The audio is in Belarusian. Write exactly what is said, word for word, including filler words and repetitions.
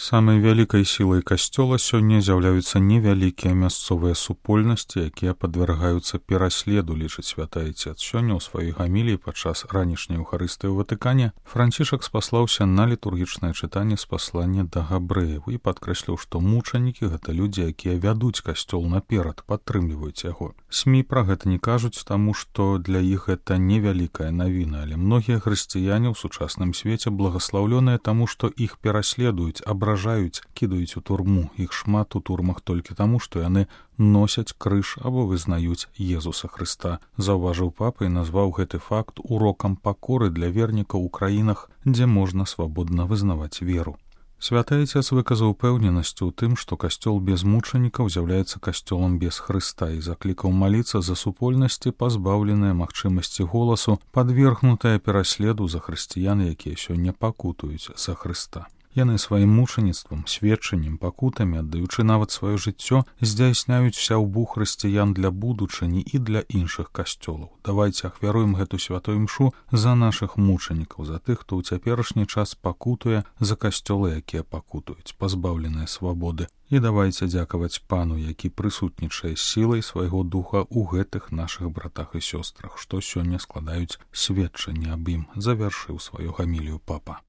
Самай вялікай сілай касцёла сёння з'яўляюцца невялікія мясцовыя супольнасці, якія падвяргаюцца пераследу, лічыць святы айцец. Сёння ў сваёй гаміліі падчас ранішняй эўхарыстыі ў Ватыкане Францішак спаслаўся на літургічнае чытанне з паслання да габрэяў і падкрэсліў, што мучанікі гэта людзі, якія вядуць касцёл наперад, падтрымліваюць яго. СМІ пра гэта не кажуць, таму што для іх гэта невялікая навіна, але многія хрысціяне ў сучасным свеце благаслаўлёныя таму, што іх пераследуюць, абражаюць, кідаюць у турму. Іх шмат у турмах толькі таму, што яны носяць крыж або вызнаюць Езуса Хрыста. Заўважыў папа і назваў гэты факт урокам пакоры для вернікаў у краінах, дзе можна свабодна вызнаваць веру. Святы айцец выказаў упэўненасць у тым, што касцёл без мучанікаў з'яўляецца касцёлам без Хрыста і заклікаў маліцца за супольнасці, пазбаўленыя магчымасці голасу, падвергнутыя пераследу за хрысціян, якія сёння пакутуюць за Хрыста. Яны сваім мучаніцтвам, сведчаннем, пакутамі, аддаючы нават сваё жыццё, здзяйсняюць сяўбу хрысціян для будучыні і для іншых касцёлаў. Давайце ахвяруем гэту святую імшу за нашых мучанікаў, за тых, хто ў цяперашні час пакутуе, за касцёлы, якія пакутуюць, пазбаўленыя свабоды. І давайце дзякаваць Пану, які прысутнічае сілай свайго духа ў гэтых нашых братах і сёстрах, што сёння складаюць сведчанне аб ім, завяршыў сваю гамілію папа.